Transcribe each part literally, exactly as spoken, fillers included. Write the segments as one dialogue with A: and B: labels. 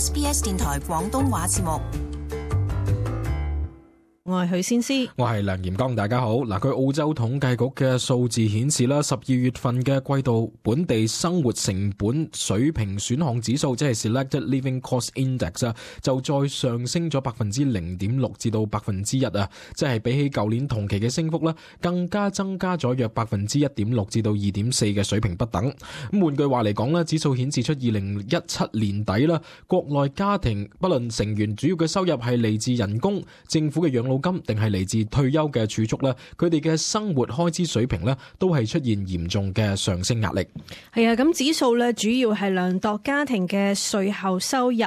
A: S B S 電台廣東話節目。
B: 我係許先思，
C: 我係梁炎剛，大家好。嗱，據澳洲統計局嘅數字顯示啦，十二月份嘅季度本地生活成本水平選項指數，即係 Selected Living Cost Index 啊，就再上升咗百分之零點六至到百分之一啊，即係比起舊年同期嘅升幅咧，更加增加咗約百分之一點六至到二點四嘅水平不等。咁換句話嚟講咧，指數顯示出二零一七年底啦，國內家庭不論成員主要嘅收入係嚟自人工、政府嘅養老金定係嚟自退休嘅儲蓄咧，佢哋嘅生活開支水平咧都係出現嚴重嘅上升壓力。
B: 係啊，咁指數咧主要係量度家庭嘅稅後收入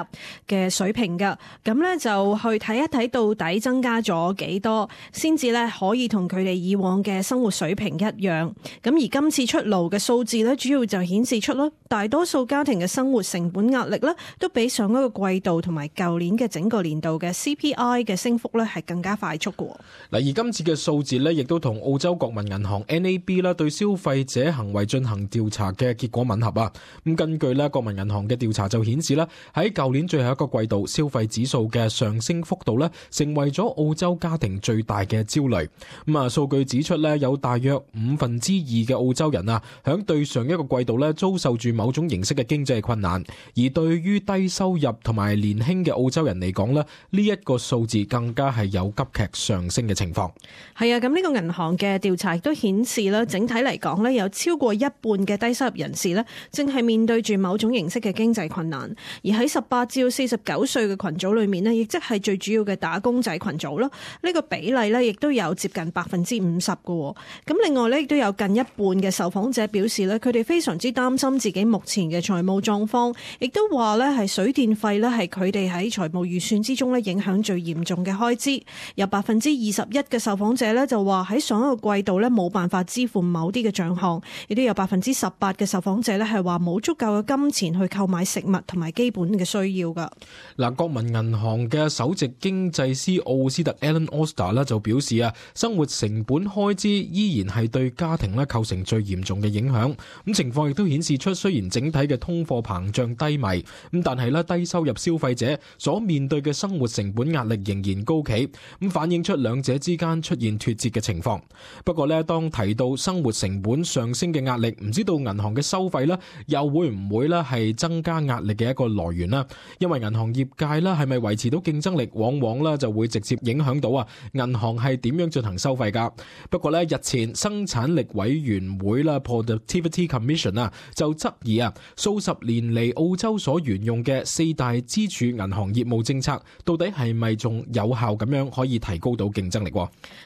B: 嘅水平噶，咁咧就去睇一睇到底增加咗幾多，先至咧可以同佢哋以往嘅生活水平一樣。咁而今次出爐嘅數字咧，主要就顯示出咯，大多數家庭嘅生活成本壓力咧都比上一個季度同埋舊年嘅整個年度嘅 C P I 嘅升幅咧係更加快速。嗱，
C: 而今次嘅數字呢，亦都同澳洲國民銀行 N A B 啦對消費者行為進行調查嘅結果吻合啊。咁根據呢國民銀行嘅調查就顯示啦，喺舊年最後一個季度，消費指數嘅上升幅度呢，成為咗澳洲家庭最大嘅焦慮。咁啊，數據指出呢，有大約五分之二嘅澳洲人啊，響對上一個季度呢，遭受住某種形式嘅經濟困難。而對於低收入同埋年輕嘅澳洲人嚟講呢，呢一個數字更加係有急劇上升嘅情況。
B: 係啊，咁呢個銀行嘅調查亦都顯示啦，整體嚟講咧，有超過一半嘅低收入人士咧，正係面對住某種形式嘅經濟困難。而喺十八至四十九歲嘅群組裏面咧，亦即係最主要嘅打工仔群組啦。呢個比例咧，亦都有接近百分之五十嘅。咁另外咧，亦都有近一半嘅受訪者表示咧，佢哋非常之擔心自己目前嘅財務狀況，亦都話咧係水電費咧係佢哋喺財務預算之中咧影響最嚴重嘅開支。有百分之二十一嘅受訪者咧就話喺上一個季度咧冇辦法支付某啲嘅賬項，亦都有百分之十八嘅受訪者咧係話冇足夠嘅金錢去購買食物同埋基本嘅需要噶。
C: 嗱，國民銀行嘅首席經濟師奧斯特 Alan Oster 咧就表示啊，生活成本開支依然係對家庭咧構成最嚴重嘅影響。咁情況亦都顯示出，雖然整體嘅通貨膨脹低迷，咁但係咧低收入消費者所面對嘅生活成本壓力仍然高企，咁反映出兩者之間出現脫節嘅情況。不過咧，當提到生活成本上升嘅壓力，唔知道銀行嘅收費咧，又會唔會咧係增加壓力嘅一個來源呢？因為銀行業界咧係咪維持到競爭力，往往咧就會直接影響到啊銀行係點樣進行收費噶。不過咧，日前生產力委員會啦 Productivity Commission 啊就質疑啊數十年嚟澳洲所沿用嘅四大支柱銀行業務政策，到底係咪仲有效咁樣可以提高到競爭力？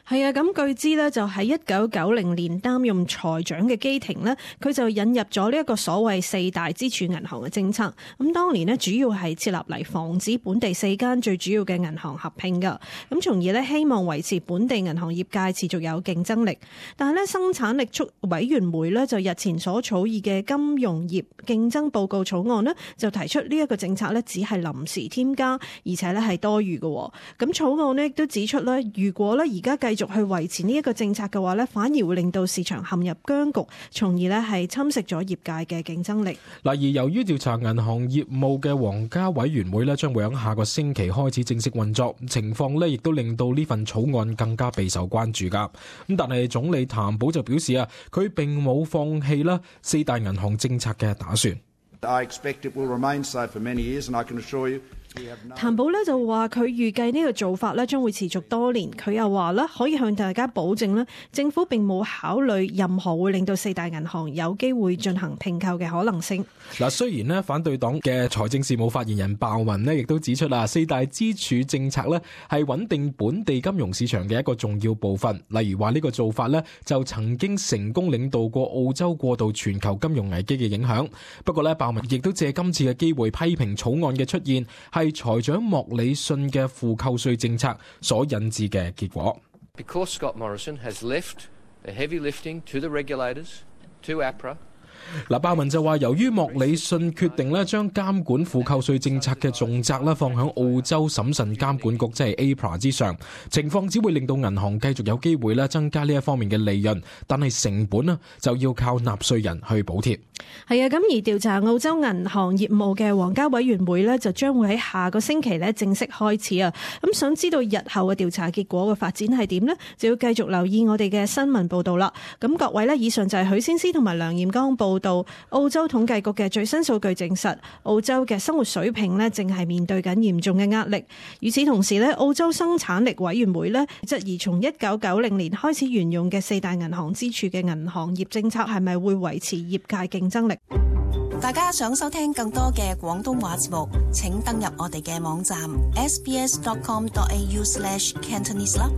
B: 係啊，咁據知呢，就喺一九九零年擔任財長嘅基廷呢，佢就引入咗呢一個所謂四大支柱銀行嘅政策。咁當年呢，主要係設立嚟防止本地四間最主要嘅銀行合併噶，咁從而呢，希望維持本地銀行業界持續有競爭力。但係呢，生產力促委員會呢，就日前所草擬嘅金融業競爭報告草案呢，就提出呢一個政策呢，只係臨時添加，而且呢係多餘嘅。咁草案呢，亦都指出呢，如果呢而家繼續去維持呢一個政策嘅話呢，反而會令到市場陷入僵局，從而呢係侵蝕咗業界嘅競爭力。
C: 嗱，而由於調查銀行業務嘅皇家委員會呢，將會喺下個星期開始正式運作，情況呢亦都令到呢份草案更加備受關注噶。咁但係總理譚寶就表示啊，佢並冇放棄啦四大銀行政策嘅打算。
D: I expect it will remain so for many years, and I can assure you
B: 譚寶咧就話佢預計呢個做法咧將會持續多年。佢又話咧可以向大家保證咧，政府並冇考慮任何會令到四大銀行有機會進行併購嘅可能性。
C: 嗱，雖然咧反對黨嘅財政事務發言人鮑文咧亦都指出啦，四大支柱政策咧係穩定本地金融市場嘅一個重要部分。例如話呢個做法咧就曾經成功領導過澳洲過渡全球金融危機嘅影響。不過咧，鮑文亦都借今次嘅機會批評草案嘅出現係財長莫里遜嘅負扣稅政策所引致嘅結果。
E: Because Scott Morrison has left the heavy lifting to the regulators, to A P R A。
C: 嗱，鮑文就話，由於莫里遜決定咧將監管負扣稅政策嘅重責咧放響澳洲審慎監管局，即係 A P R A 之上，情況只會令到銀行繼續有機會咧增加呢一方面嘅利潤，但係成本啊就要靠納稅人去補貼。
B: 係啊，咁而調查澳洲銀行業務嘅皇家委員會呢，就將會喺下個星期呢正式開始啊。咁想知道日後嘅調查結果嘅發展係點呢？就要繼續留意我哋嘅新聞報道啦。咁各位呢，以上就係許先思同埋梁艷剛報道。澳洲統計局嘅最新數據證實，澳洲嘅生活水平呢正係面對緊嚴重嘅壓力。與此同時呢，澳洲生產力委員會呢質疑從一九九零年開始沿用嘅四大銀行支柱嘅銀行業政策係咪會維持業界競爭力？
A: 大家想收聽更多嘅廣東話節目，請登入我哋嘅網站 s b s dot com dot a u slash cantonese 啦。